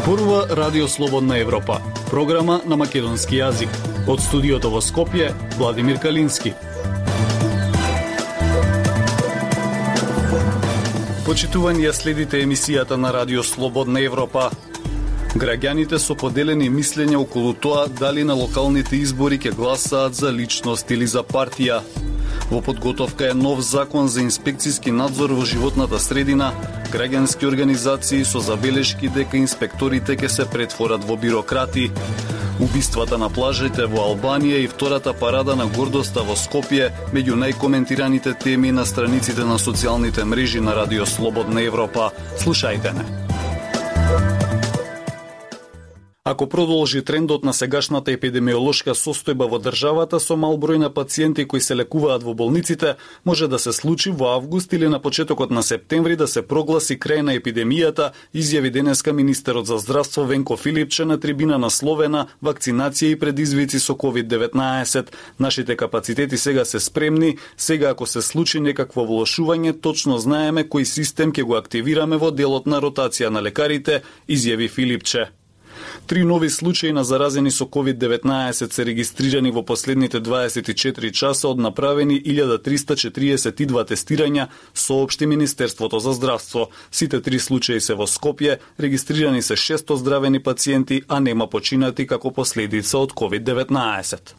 Зборува Радио Слободна Европа, програма на македонски јазик. Од студиото во Скопје, Владимир Калински. Почитувани, ја следите емисијата на Радио Слободна Европа. Граѓаните со поделени мислења околу тоа дали на локалните избори ќе гласаат за личност или за партија. Во подготовка е нов закон за инспекцијски надзор во животната средина, граѓански организации со забелешки дека инспекторите ќе се претворат во бирократи. Убиствата на плажите во Албанија и втората парада на гордоста во Скопје меѓу најкоментираните теми на страниците на социјалните мрежи на Радио Слободна Европа. Слушајте не. Ако продолжи трендот на сегашната епидемиолошка состојба во државата со мал број на пациенти кои се лекуваат во болниците, може да се случи во август или на почетокот на септември да се прогласи крај на епидемијата, изјави денеска министерот за здравство Венко Филипче на трибина насловена "Вакцинација и предизвици со COVID-19". Нашите капацитети сега се спремни, сега ако се случи некакво влошување, точно знаеме кој систем ќе го активираме во делот на ротација на лекарите, изјави Филипче. 3 нови случаи на заразени со COVID-19 се регистрирани во последните 24 часа од направени 1342 тестирања, соопшти Министерството за здравство. Сите 3 случаи се во Скопје, регистрирани се 6 оздравени пациенти, а нема починати како последица од COVID-19.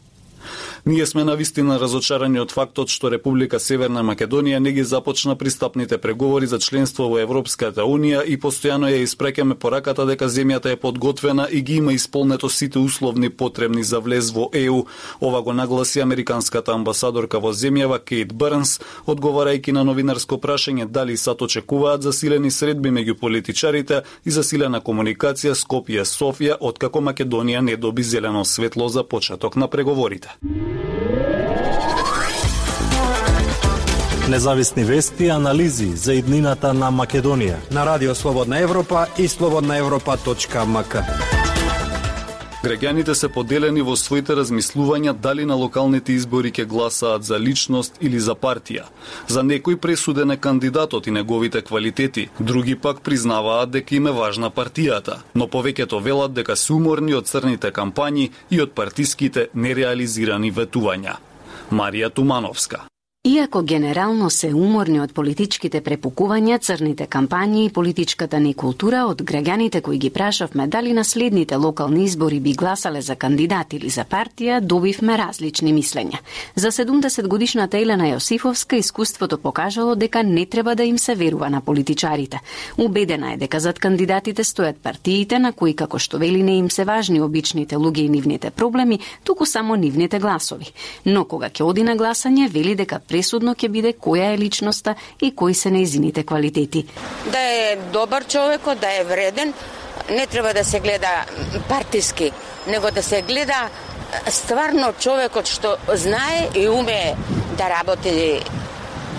Ние сме навистина разочарани од фактот што Република Северна Македонија не ги започна пристапните преговори за членство во Европската Унија и постојано ја испраќаме пораката дека земјата е подготвена и ги има исполнето сите условни потребни за влез во ЕУ. Ова го нагласи американската амбасадорка во земјава Кейт Бърнс, одговарајќи на новинарско прашање дали САД очекуваат засилени средби меѓу политичарите и засилена комуникација Скопје-Софија откако Македонија не доби зелено светло за почеток на преговорите. Независни вести и анализи за иднината на Македонија на Радио Слободна Европа и slobodnaevropa.mk. Граѓаните се поделени во своите размислувања дали на локалните избори ќе гласаат за личност или за партија. За некој пресуден е кандидатот и неговите квалитети, други пак признаваат дека им е важна партијата, но повеќето велат дека се уморни од црните кампањи и од партиските нереализирани ветувања. Марија Тумановска. Иако генерално се уморни од политичките препукувања, црните кампањи и политичката ни култура, од граѓаните кои ги прашавме дали на следните локални избори би гласале за кандидат или за партија, добивме различни мислења. За 70 годишната Елена Јосифовска искуството покажало дека не треба да им се верува на политичарите. Убедена е дека зад кандидатите стојат партиите на кои, како што вели, не им се важни обичните луѓе и нивните проблеми, туку само нивните гласови. Но кога ќе оди на гласање, вели дека пресудно ќе биде која е личноста и кои се нејзините квалитети. Да е добар човекот, да е вреден, не треба да се гледа партиски, него да се гледа стварно човекот што знае и умее да работи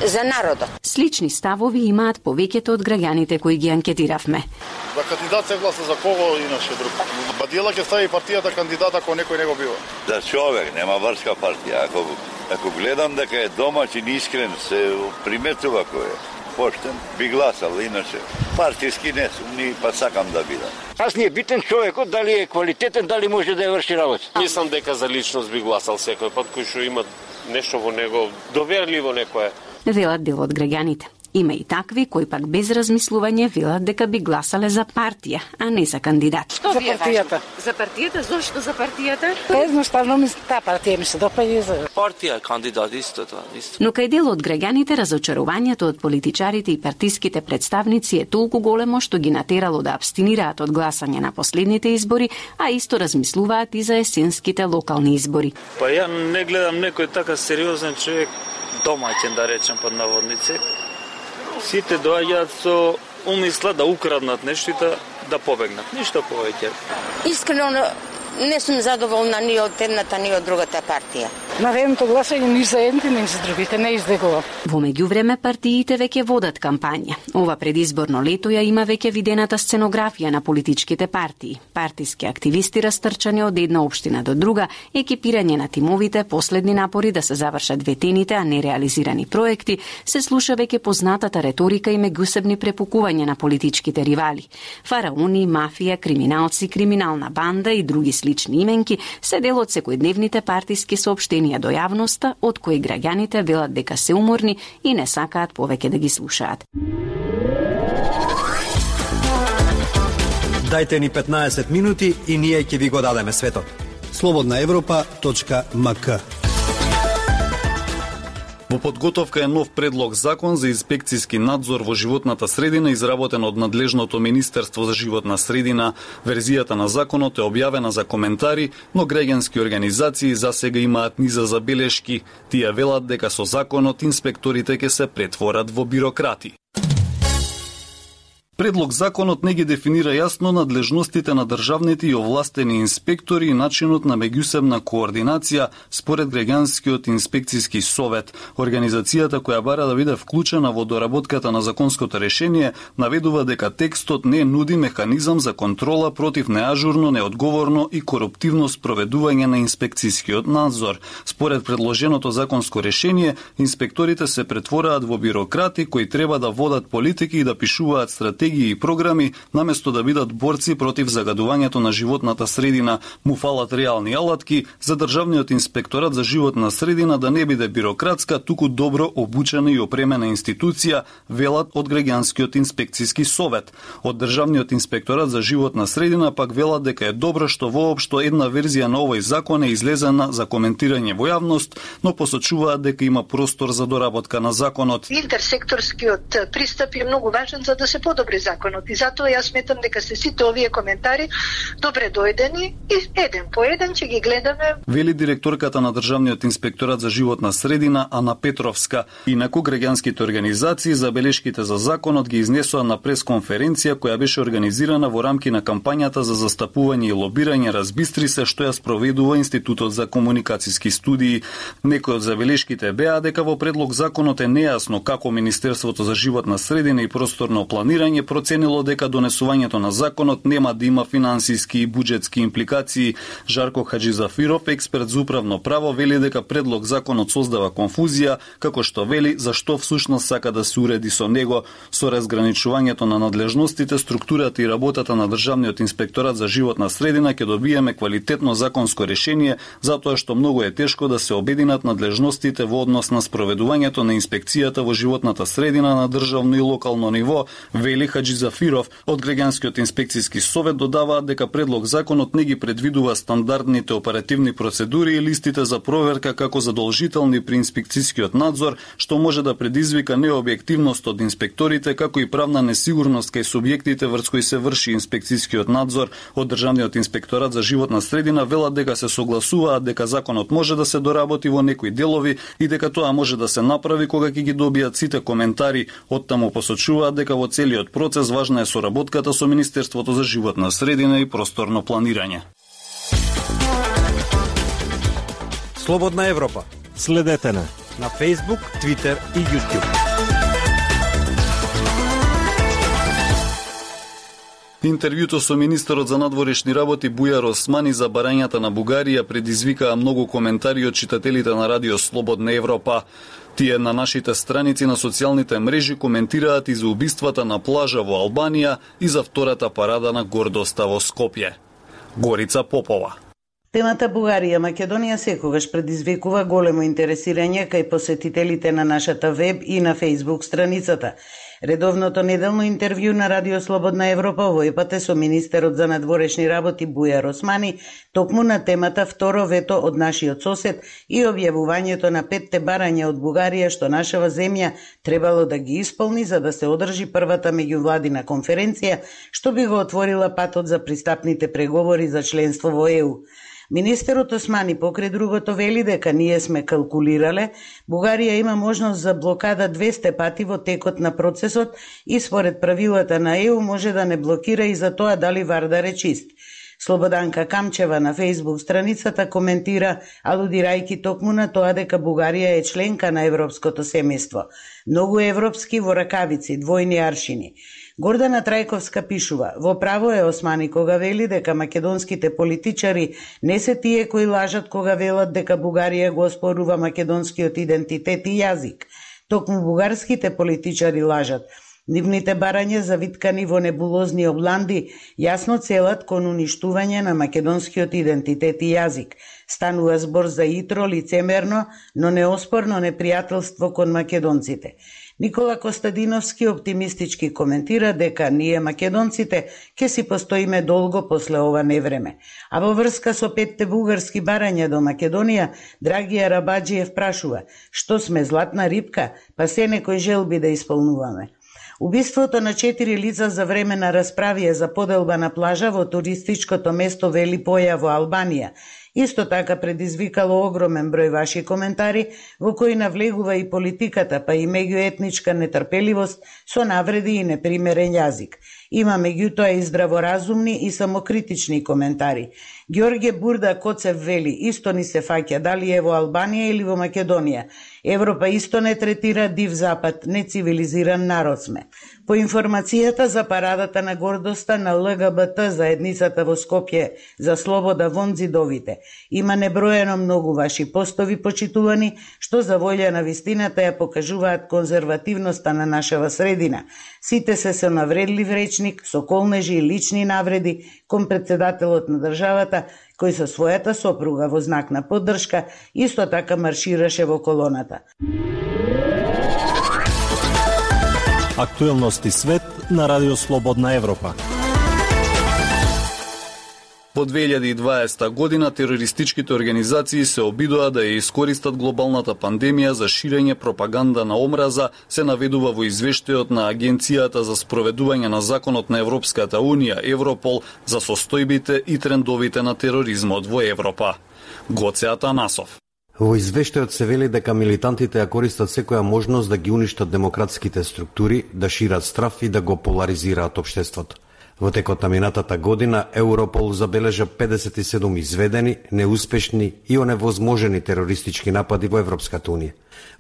за народот. Слични ставови имаат повеќето од граѓаните кои ги анкетиравме. За кандидат се гласа за кого иначе друг. Бадила ќе стави партијата кандидат ако некој не го бива. За човек, нема врска партија. Ако гледам дека е домаќин, искрен, се приметува кој е. Поштен, би гласал, иначе партиски не сум, ни па сакам да бидам. Аз не е битен човекот, дали е квалитетен, дали може да ја врши работа. Мислам дека за личност би гласал секој пат кој што има нешто во него, доверливо некое. Велат дел од граѓаните. Има и такви кои пак без размислување велат дека би гласале за партија, а не за кандидат. Што ви е партијата. За партијата? Зошто за партијата? Едноставно ми таа партија ми се допаѓа за партија, кандидат исто тоа, исто. Но кај дел од граѓаните разочарувањето од политичарите и партиските представници е толку големо што ги натерало да абстинираат од гласање на последните избори, а исто размислуваат и за есенските локални избори. Па ја не гледам некој така сериозен човек, домаќен да речем под наводници. Сите доаѓаат со умисла да украднат нешто да побегнат. Ништо повеќе. Искрено не сум задоволна ни од едната, ни од другата партија. Наредното гласање ни за едните, ни за другите, не издегува. Во меѓувреме партиите веќе водат кампања. Ова предизборно лето ја има веќе видената сценографија на политичките партии. Партиски активисти растрчани од една општина до друга, екипирање на тимовите, последни напори да се завршат ветените, а не реализирани проекти, се слуша веќе познатата реторика и меѓусебни препукувања на политичките ривали. Фараони, мафија, криминалци, криминална банда и други слични именки се дел од секојдневните партиски соопштенија до јавноста, од кои граѓаните велат дека се уморни и не сакаат повеќе да ги слушаат. Дајте ни 15 минути и ние ќе ви го дадеме светот. slobodnaevropa.mk. Во подготовка е нов предлог закон за инспекцијски надзор во животната средина изработен од надлежното Министерство за животна средина. Верзијата на законот е објавена за коментари, но граѓански организации засега имаат низа забелешки. Тие велат дека со законот инспекторите ќе се претворат во бирократи. Предлог законот не ги дефинира јасно надлежностите на државните и овластени инспектори и начинот на меѓусебна координација според граѓанскиот инспекцијски совет. Организацијата која бара да биде вклучена во доработката на законското решение наведува дека текстот не нуди механизам за контрола против неажурно, неодговорно и коруптивно спроведување на инспекцијскиот надзор. Според предложеното законско решение, инспекторите се претвораат во бирократи кои треба да водат политики и да пишуваат стратегии и програми, наместо да бидат борци против загадувањето на животната средина. Му фалат реални алатки за Државниот инспекторат за животна средина да не биде бирократска, туку добро обучена и опремена институција, велат од граѓанскиот инспекцијски совет. Од Државниот инспекторат за животна средина пак велат дека е добро што воопшто една верзија на овој закон е излезена за коментирање во јавност, но посочуваат дека има простор за доработка на законот. Интерсекторскиот пристап е многу важен за да се подобри законот и затоа јас сметам дека се сите овие коментари добре дојдени и еден по еден ќе ги гледаме. Вели директорката на Државниот инспекторат за животна средина Ана Петровска. Инаку граѓанските организации забелешките за законот ги изнесоа на пресконференција која беше организирана во рамки на кампањата за застапување и лобирање Разбистри се што ја спроведува Институтот за комуникацијски студии. Некои од забелешките беа дека во предлог законот е нејасно како Министерството за животна средина и просторно планирање проценило дека донесувањето на законот нема да има финансиски и буџетски импликации. Жарко Хаџизафиров, експерт за управно право, вели дека предлог законот создава конфузија, како што вели зашто всушност сака да се уреди со него. Со разграничувањето на надлежностите, структурата и работата на Државниот инспекторат за животна средина ќе добиеме квалитетно законско решение, затоа што многу е тешко да се обединат надлежностите во однос на спроведувањето на инспекцијата во животната средина на државно и локално ниво, вели Хаџизафиров. Од граѓанскиот инспекцијски совет додаваат дека предлог законот не ги предвидува стандардните оперативни процедури и листите за проверка како задолжителни при инспекцијскиот надзор, што може да предизвика необјективност од инспекторите, како и правна несигурност кај субјектите врз кои се врши инспекцијскиот надзор. Од Државниот инспекторат за животна средина велат дека се согласуваат дека законот може да се доработи во некои делови и дека тоа може да се направи кога ќе ги добијат сите коментари. Оттаму посочуваат дека во целиот процес важна е соработката со Министерството за животна средина и просторно планирање. Слободна Европа. Следете на Facebook, Twitter и YouTube. Интервјуто со министерот за надворешни работи Бујар Османи за барањата на Бугарија предизвикаа многу коментари од читателите на Радио Слободна Европа. Тие на нашите страници на социјалните мрежи коментираат и за убиствата на плажа во Албанија и за втората парада на гордоста во Скопје. Горица Попова. Темата Бугарија-Македонија секогаш предизвикува големо интересирање кај посетителите на нашата веб и на Facebook страницата. Редовното неделно интервју на Радио Слободна Европа овој пат е со министерот за надворешни работи Бујар Османи, токму на темата второ вето од нашиот сосед и објавувањето на 5 барања од Бугарија што нашава земја требало да ги исполни за да се одржи првата меѓувладина конференција што би го отворила патот за пристапните преговори за членство во ЕУ. Министерот Османи покрај другото вели дека ние сме калкулирале, Бугарија има можност за блокада 200 пати во текот на процесот и според правилата на ЕУ може да не блокира и за тоа дали Вардар е чист. Слободанка Камчева на Facebook страницата коментира, алудирајќи токму на тоа дека Бугарија е членка на европското семејство. Многу европски во ракавици, двојни аршини. Гордана Трајковска пишува: во право е Османи кога вели дека македонските политичари не се тие кои лажат кога велат дека Бугарија го оспорува македонскиот идентитет и јазик. Токму бугарските политичари лажат. Нивните барања завиткани во небулозни обланди јасно целат кон уништување на македонскиот идентитет и јазик. Станува збор за итро, лицемерно, но неоспорно непријателство кон македонците. Никола Костадиновски оптимистички коментира дека ние македонците ќе си постоиме долго после ова невреме. А во врска со 5 бугарски барања до Македонија, Драгија Рабаджиев прашува: што сме златна рибка, па се некој желби да исполнуваме. Убиството на 4 лица за време на расправија за поделба на плажа во туристичкото место Велипоја во Албанија исто така предизвикало огромен број ваши коментари, во кои навлегува и политиката, па и меѓуетничка нетрпеливост со навреди и непримерен јазик. Има меѓутоа и здраворазумни и самокритични коментари. Ѓорѓе Бурда Коцев вели: исто ни се фаќа дали е во Албанија или во Македонија. Европа исто не третира див запад, нецивилизиран народ сме. По информацијата за парадата на гордоста на ЛГБТ заедницата во Скопје за слобода вон зидовите, има неброено многу ваши постови почитувани, што за волја на вистината ја покажуваат конзервативноста на нашава средина. Сите се со навредлив речник, со колнежи и лични навреди кон председателот на државата, кој со својата сопруга во знак на поддршка исто така маршираше во колоната. Актуелности свет на Радио Слободна Европа. Во 2020 година терористичките организации се обидоа да ја искористат глобалната пандемија за ширење пропаганда на омраза, се наведува во извештајот на Агенцијата за спроведување на законот на Европската Унија, Европол, за состојбите и трендовите на тероризмот во Европа. Гоце Атанасов. Во извештајот се вели дека милитантите ја користат секоја можност да ги уништат демократските структури, да шират страв и да го поларизираат општеството. Во текот на минатата година Европол забележа 57 изведени, неуспешни и оневозможени терористички напади во Европската Унија.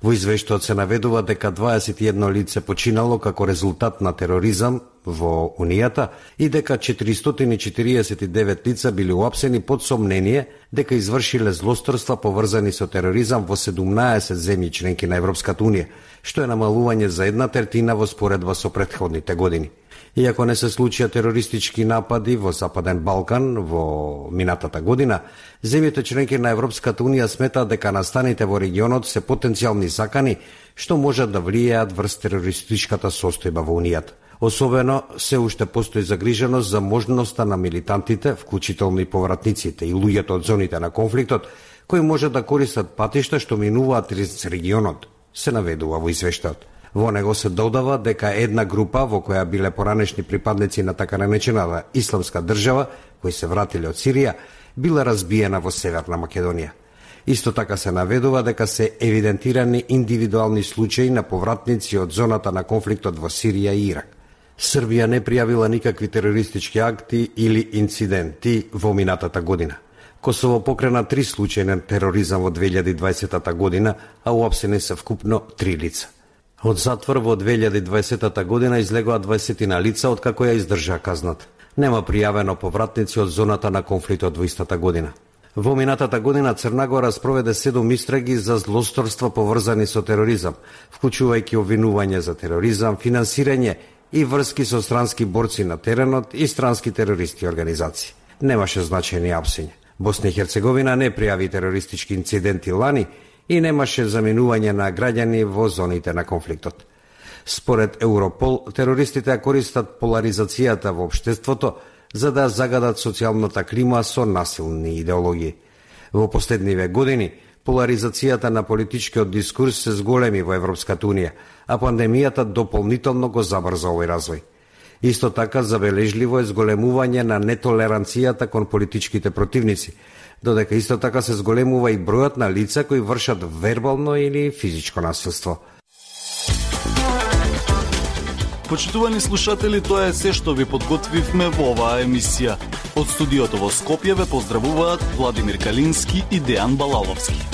Во извештајот се наведува дека 21 лице починало како резултат на тероризам во Унијата и дека 449 лица били уапсени под сомнение дека извршиле злосторства поврзани со тероризам во 17 земји членки на Европската Унија, што е намалување за 1/3 во споредба со претходните години. Иако не се случија терористички напади во Западен Балкан во минатата година, земјите членки на Европската Унија сметаат дека настаните во регионот се потенцијални закани што можат да влијаат врз терористичката состојба во Унијата. Особено се уште постои загриженост за можноста на милитантите, вклучително и повратниците и луѓето од зоните на конфликтот, кои може да користат патишта што минуваат низ регионот, се наведува во извештајот. Во него се додава дека една група во која биле поранешни припадници на така наречената Исламска држава, кои се вратиле од Сирија, била разбиена во Северна Македонија. Исто така се наведува дека се евидентирани индивидуални случаи на повратници од зоната на конфликтот во Сирија и Ирак. Србија не пријавила никакви терористички акти или инциденти во минатата година. Косово покрена 3 случаи на тероризам во 2020 година, а уапсени се вкупно 3 лица. Од затвор во 2020 година излегоа 20 лица, откако ја издржаа казната. Нема пријавено повратници од зоната на конфликтот во истата година. Во минатата година Црна Гора спроведе 7 истраги за злосторства поврзани со тероризам, вклучувајќи обвинување за тероризам, финансирање и врски со странски борци на теренот и странски терористи организации. Немаше значајни апсења. Босна и Херцеговина не пријави терористички инциденти лани и немаше заминување на граѓани во зоните на конфликтот. Според Европол, терористите ја користат поларизацијата во општеството за да загадат социјалната клима со насилни идеологии. Во последниве години, поларизацијата на политичкиот дискурс се зголеми во Европската Унија, а пандемијата дополнително го забрза овој развој. Исто така забележливо е зголемување на нетолеранцијата кон политичките противници, додека исто така се зголемува и бројот на лица кои вршат вербално или физичко насилство. Почитувани слушатели, тоа е се што ви подготвивме во оваа емисија. Од студиото во Скопје ве поздравуваат Владимир Калински и Дејан Балаловски.